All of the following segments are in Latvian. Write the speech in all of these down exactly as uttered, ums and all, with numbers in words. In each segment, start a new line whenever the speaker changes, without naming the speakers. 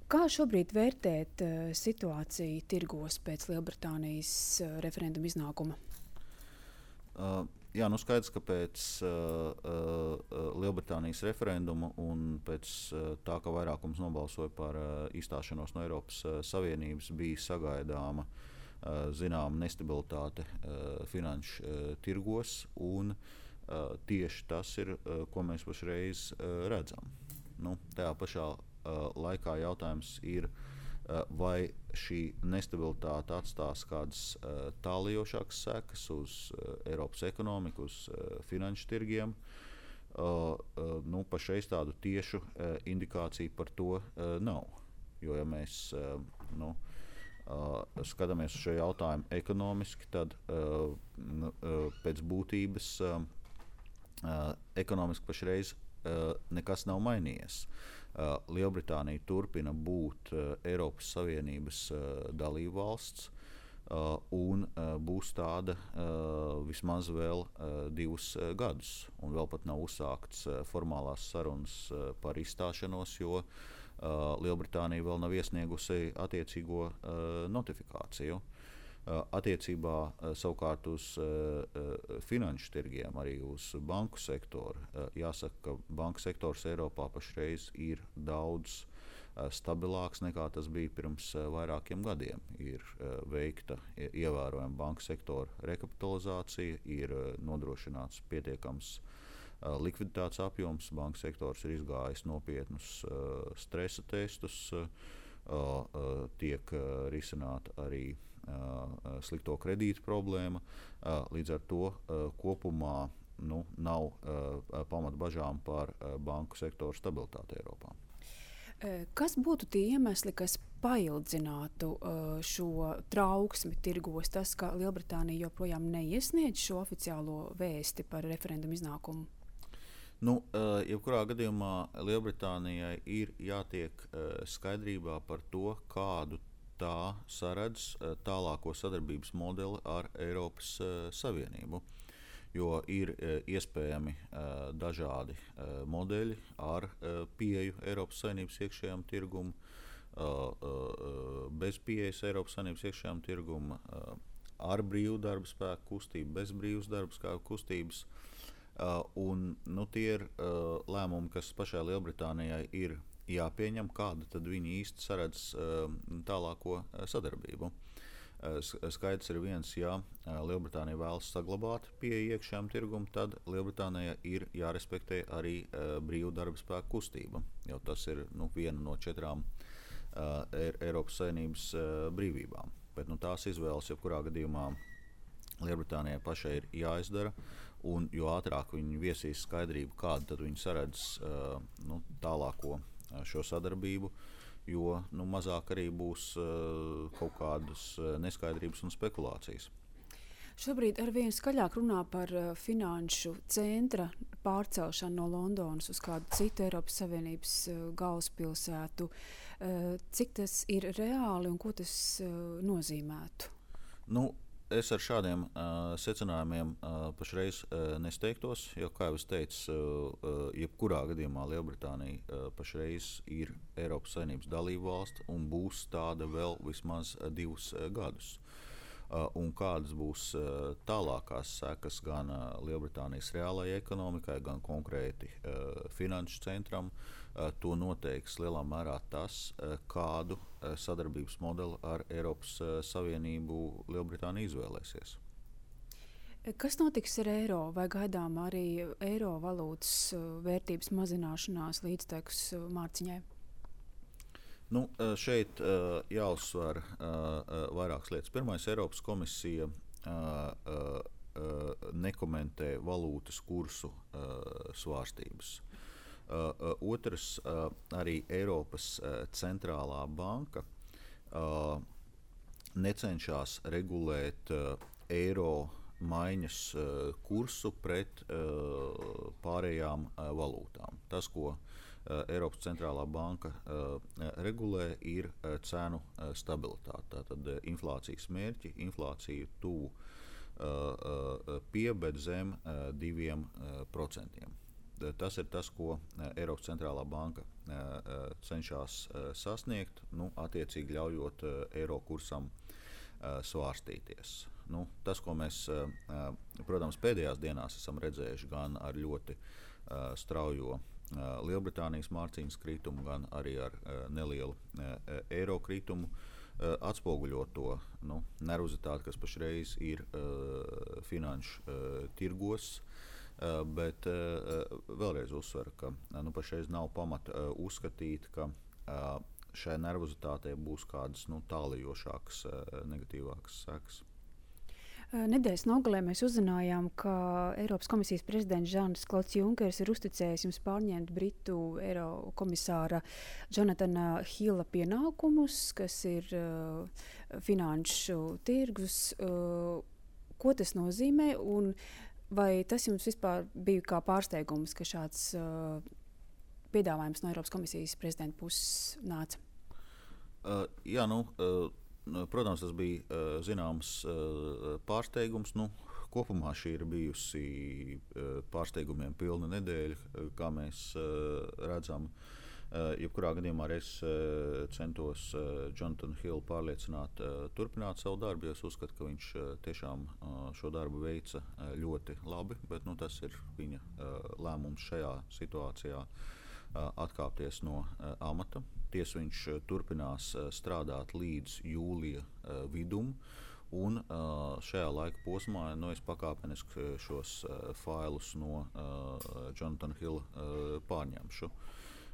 Kā šobrīd vērtēt uh, situāciju tirgos pēc Lielbritānijas uh, referenduma iznākuma?
Uh, jā, nu skaidrs, ka pēc uh, uh, Lielbritānijas referenduma un pēc uh, tā, ka vairākums nobalsoja par uh, izstāšanos no Eiropas uh, Savienības, bija sagaidāma uh, zināma nestabilitāte uh, finanšu uh, tirgos, un uh, tieši tas ir, uh, ko mēs pašreiz uh, redzam. Nu, tajā pašā uh, laikā jautājums ir, uh, vai šī nestabilitāte atstās kādas uh, tālējošākas sekas uz uh, Eiropas ekonomiku, uz uh, finanšu tirgiem. Uh, uh, nu, pašreiz tādu tiešu uh, indikāciju par to uh, nav. Jo, ja mēs uh, nu, uh, skatāmies uz šo jautājumu ekonomiski, tad uh, uh, pēc būtības uh, uh, ekonomiski pašreiz uh, nekas nav mainījies. Uh, Lielbritānija turpina būt uh, Eiropas Savienības uh, dalībvalsts uh, un uh, būs tāda uh, vismaz vēl uh, divus uh, gadus. Un vēl pat nav uzsākts uh, formālās sarunas uh, par izstāšanos, jo uh, Lielbritānija vēl nav iesniegusi attiecīgo uh, notifikāciju. Uh, attiecībā uh, savukārt uz uh, uh, finanšu tirgiem, arī uz banku sektoru. Uh, jāsaka, ka banku sektors Eiropā pašreiz ir daudz uh, stabilāks nekā tas bija pirms uh, vairākiem gadiem. Ir uh, veikta ievērojama banku sektora rekapitalizācija, ir uh, nodrošināts pietiekams uh, likviditātes apjoms, banku sektors ir izgājis nopietnus uh, stresa testus, uh, uh, tiek uh, risināta arī Uh, slikto kredītu problēma. Uh, līdz ar to uh, kopumā nu, nav uh, pamata bažām par uh, banku sektoru stabilitāti Eiropā.
Kas būtu tie iemesli, kas paildzinātu uh, šo trauksmi tirgos? Tas, ka Lielbritānija joprojām neiesniedz šo oficiālo vēsti par referendumu iznākumu?
Nu, uh, jebkurā gadījumā Lielbritānijai ir jātiek uh, skaidrībā par to, kādu tā saredz tālāko sadarbības modeli ar Eiropas uh, Savienību, jo ir uh, iespējami uh, dažādi uh, modeļi ar uh, pieeju Eiropas Savienības iekšējām tirgumu, uh, uh, bez pieejas Eiropas Savienības iekšējām tirgumu, uh, ar brīvu darba spēku kustību, bez brīvas darba spēku kustības. Uh, un, nu, tie ir uh, lēmumi, kas pašai Lielbritānijai ir jāpieņem, kāda tad viņi īsti saredz uh, tālāko uh, sadarbību. Uh, skaidrs ir viens, ja uh, Lielbritānija vēlas saglabāt pieeju iekšējām tirgumu, tad Lielbritānijai ir jārespektē arī uh, brīvu darba spēku kustība, jo tas ir nu, viena no četrām uh, Eiropas Savienības uh, brīvībām. Bet nu, tās izvēles, jebkurā gadījumā Lielbritānijai pašai ir jāizdara, un jo ātrāk viņi viesīs skaidrību, kādu tad viņi saredz uh, nu, tālāko šo sadarbību, jo nu, mazāk arī būs uh, kaut kādas uh, neskaidrības un spekulācijas.
Šobrīd arvien skaļāk runā par uh, finanšu centra pārcelšanu no Londonas uz kādu citu Eiropas Savienības uh, galvaspilsētu. Uh, cik tas ir reāli un ko tas uh, nozīmētu?
Nu, Es ar šādiem uh, secinājumiem uh, pašreiz uh, nesteigtos, jo, kā jau es teicu, uh, jebkurā gadījumā Lielbritānija uh, pašreiz ir Eiropas Savienības dalībvalsts un būs tāda vēl vismaz uh, divus uh, gadus. Uh, un kādas būs uh, tālākās sekas gan uh, Lielbritānijas reālajai ekonomikai, gan konkrēti uh, finanšu centram, uh, to noteiks lielā mērā tas, uh, kādu uh, sadarbības modeli ar Eiropas uh, Savienību Lielbritānija izvēlēsies.
Kas notiks ar eiro? Vai gaidām arī eiro valūtas uh, vērtības mazināšanās līdztekus uh, mārciņai?
Nu, šeit uh, jāuzsver uh, uh, vairākas lietas. Pirmais, Eiropas komisija uh, uh, uh, nekomentē valūtas kursu uh, svārstības. Uh, uh, otrs, uh, arī Eiropas uh, centrālā banka uh, necenšas regulēt uh, eiro maiņas uh, kursu pret uh, pārējām uh, valūtām. Tas, ko Eiropas centrālā banka uh, regulē, ir uh, cenu uh, stabilitāte. Tātad uh, inflācijas mērķi, inflāciju tuvu uh, uh, pie, bet zem uh, diviem procentiem. tas ir tas, ko Eiropas centrālā banka cenšas sasniegt, nu, attiecīgi ļaujot eiro kursam svārstīties. Nu, tas, ko mēs, protams, pēdējās dienās esam redzējuši gan ar ļoti straujo Lielbritānijas mārciņas kritumu, gan arī ar nelielu eiro kritumu, atspoguļo to nu, nervozitāti, kas pašreiz ir finanšu tirgos. Uh, bet uh, vēlreiz uzsveru, ka nu, pašreiz nav pamata uh, uzskatīt, ka uh, šai nervozitātei būs kādas nu, tālajošākas, uh, negatīvākas sekas.
Nedēļas nogalē mēs uzzinājām, ka Eiropas komisijas prezidents Žans Klods Junkers ir uzticējis jums pārņemt Britu eiro komisāra Jonathana Hilla pienākumus, kas ir uh, finanšu tirgus. Uh, ko tas nozīmē? Un vai tas jums vispār bija kā pārsteigums, ka šāds uh, piedāvājums no Eiropas komisijas prezidenta puses nāca?
Uh, jā, nu, uh, protams, tas bija uh, zināms uh, pārsteigums. Nu, kopumā šī ir bijusi uh, pārsteigumiem pilna nedēļa, uh, kā mēs uh, redzam. Uh, jebkurā gadījumā es uh, centos uh, Jonathanu Hillu pārliecināt, uh, turpināt savu darbu, jo es uzskatu, ka viņš uh, tiešām uh, šo darbu veica uh, ļoti labi, bet nu, tas ir viņa uh, lēmums šajā situācijā uh, atkāpties no uh, amata. Tiesa viņš uh, turpinās uh, strādāt līdz jūlija uh, vidum, un uh, šajā laika posmā nu, es pakāpeniski šos uh, failus no uh, Jonathana Hilla uh, pārņemšu.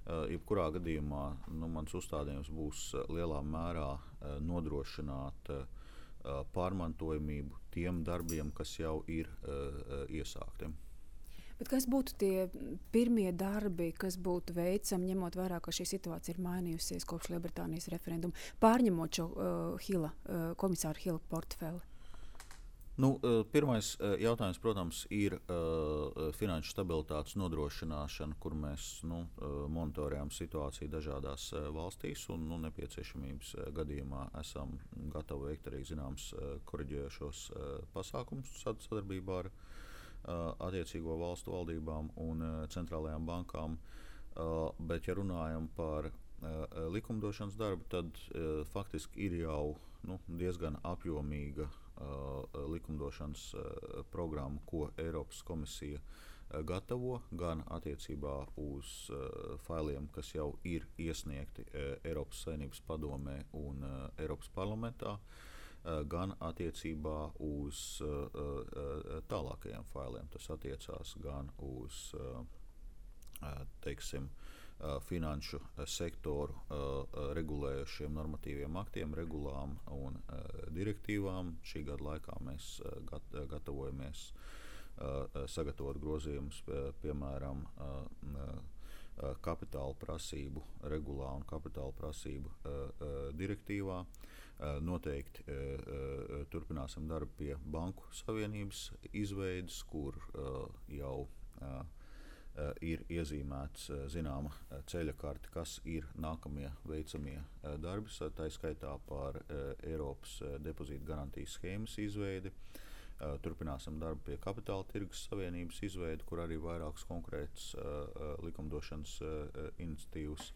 Uh, jebkurā gadījumā nu, mans uzstādījums būs uh, lielā mērā uh, nodrošināt uh, pārmantojamību tiem darbiem, kas jau ir uh, iesākti.
Bet kas būtu tie pirmie darbi, kas būtu veicami, ņemot vērā, ka šī situācija ir mainījusies kopš Lielbritānijas referenduma, pārņemot šo uh, Hilla, uh, komisāru Hilla portfeli?
Nu, pirmais jautājums, protams, ir uh, finanšu stabilitātes nodrošināšana, kur mēs nu, monitorējam situāciju dažādās uh, valstīs un nu, nepieciešamības uh, gadījumā esam gatavi veikt arī zināms uh, koriģējošos uh, pasākumus sadarbībā ar uh, attiecīgo valstu valdībām un uh, centrālajām bankām. Uh, bet, ja runājam par uh, likumdošanas darbu, tad uh, faktiski ir jau nu, diezgan apjomīga Uh, likumdošanas uh, programmu, ko Eiropas komisija uh, gatavo, gan attiecībā uz uh, failiem, kas jau ir iesniegti uh, Eiropas Savienības padomē un uh, Eiropas parlamentā, uh, gan attiecībā uz uh, uh, tālākajiem failiem. Tas attiecās gan uz uh, uh, teiksim, Uh, finanšu uh, sektoru uh, uh, regulējušiem normatīviem aktiem, regulām un uh, direktīvām. Šī gada laikā mēs uh, gat, uh, gatavojamies uh, sagatavot grozījumus, uh, piemēram, uh, uh, kapitāla prasību regulā un kapitāla prasību uh, uh, direktīvā. Uh, noteikti uh, uh, turpināsim darbu pie Banku Savienības izveides, kur uh, jau uh, Uh, ir iezīmēts uh, zināma uh, ceļa karte, kas ir nākamie veicamie uh, darbi, tā skaitā par uh, Eiropas uh, depozītu garantijas schēmas izveidi. Uh, turpināsim darbu pie kapitāla tirgus savienības izveidi, kur arī vairākas konkrētas uh, uh, likumdošanas uh, iniciatīvas.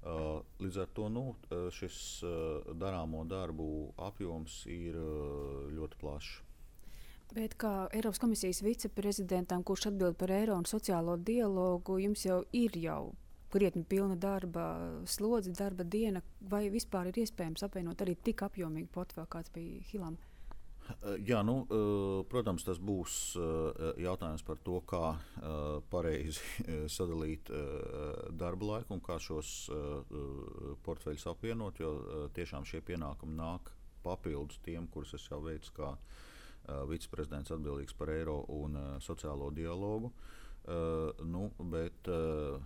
Uh, līdz ar to nu, šis uh, darāmo darbu apjoms ir uh, ļoti plašs.
Bet kā Eiropas komisijas viceprezidentam, kurš atbild par eiro un sociālo dialogu, jums jau ir jau krietni pilna darba slodze, darba diena, vai vispār ir iespējams apvienot arī tik apjomīgu portfeli, kāds bija Hillam?
Jā, nu, protams, tas būs jautājums par to, kā pareizi sadalīt darba laiku un kā šos portfeļus apvienot, jo tiešām šie pienākumi nāk papildus tiem, kurus es jau veicu kā Uh, viceprezidents atbildīgs par eiro un uh, sociālo dialogu, uh, nu, bet uh,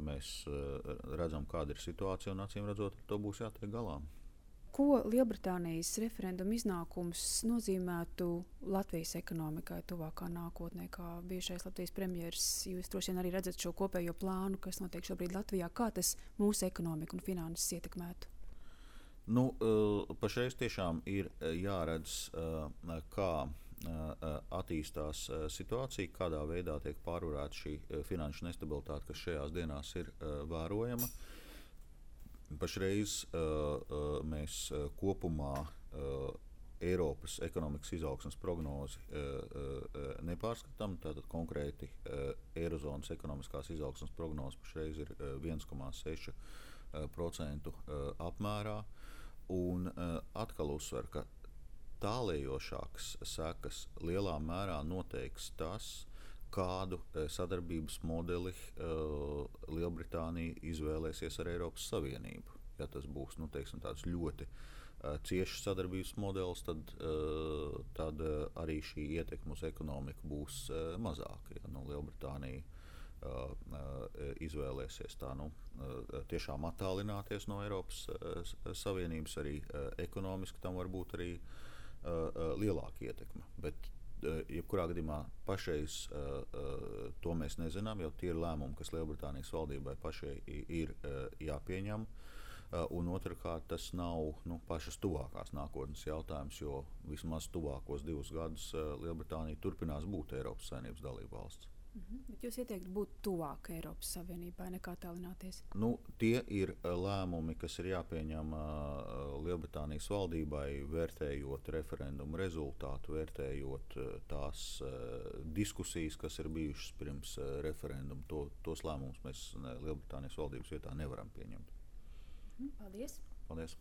mēs uh, redzam, kāda ir situācija un acīm redzot, ar to būs jātiek galā.
Ko Lielbritānijas referenduma iznākums nozīmētu Latvijas ekonomikai tuvākā nākotnē, kā bijušais Latvijas premjeras? Jūs droši vien arī redzat šo kopējo plānu, kas notiek šobrīd Latvijā. Kā tas mūsu ekonomiku un finanses ietekmētu?
Nu, uh, pašreiz tiešām ir jāredz, uh, kā attīstās situācija, kādā veidā tiek pārvarēta šī finanšu nestabilitāte, kas šajās dienās ir vērojama. Pašreiz mēs kopumā Eiropas ekonomikas izaugsmes prognozi nepārskatām. Tātad konkrēti Eirozonas ekonomiskās izaugsmes prognoze pašreiz ir viens komā seši procenti apmērā. Un atkal uzsver, ka tālējošākas sekas lielā mērā noteiks tas, kādu sadarbības modeli Lielbritānija izvēlēsies ar Eiropas Savienību. Ja tas būs nu, teiksim, tāds ļoti ciešs sadarbības modelis, tad, tad arī šī ietekme uz ekonomiku būs mazāka. Ja nu, Lielbritānija izvēlēsies tā, nu, tiešām attālināties no Eiropas Savienības, arī ekonomiski tam var būt arī lielāka ietekme. Bet, jebkurā gadījumā pašreiz to mēs nezinām, jo tie ir lēmumi, kas Lielbritānijas valdībai pašai ir jāpieņem. Un otrkārt, tas nav nu, pašas tuvākās nākotnes jautājums, jo vismaz tuvākos divus gadus Lielbritānija turpinās būt Eiropas Savienības dalība valsts.
Mhm. Bet jūs ieteiktu būt tuvāk Eiropas Savienībai, nekā tālināties?
Nu, tie ir lēmumi, kas ir jāpieņem Lielbritānijas valdībai, vērtējot referendumu rezultātu, vērtējot tās diskusijas, kas ir bijušas pirms referendumu. To, tos lēmumus mēs Lielbritānijas valdības vietā nevaram pieņemt.
Mhm. Paldies!
Paldies!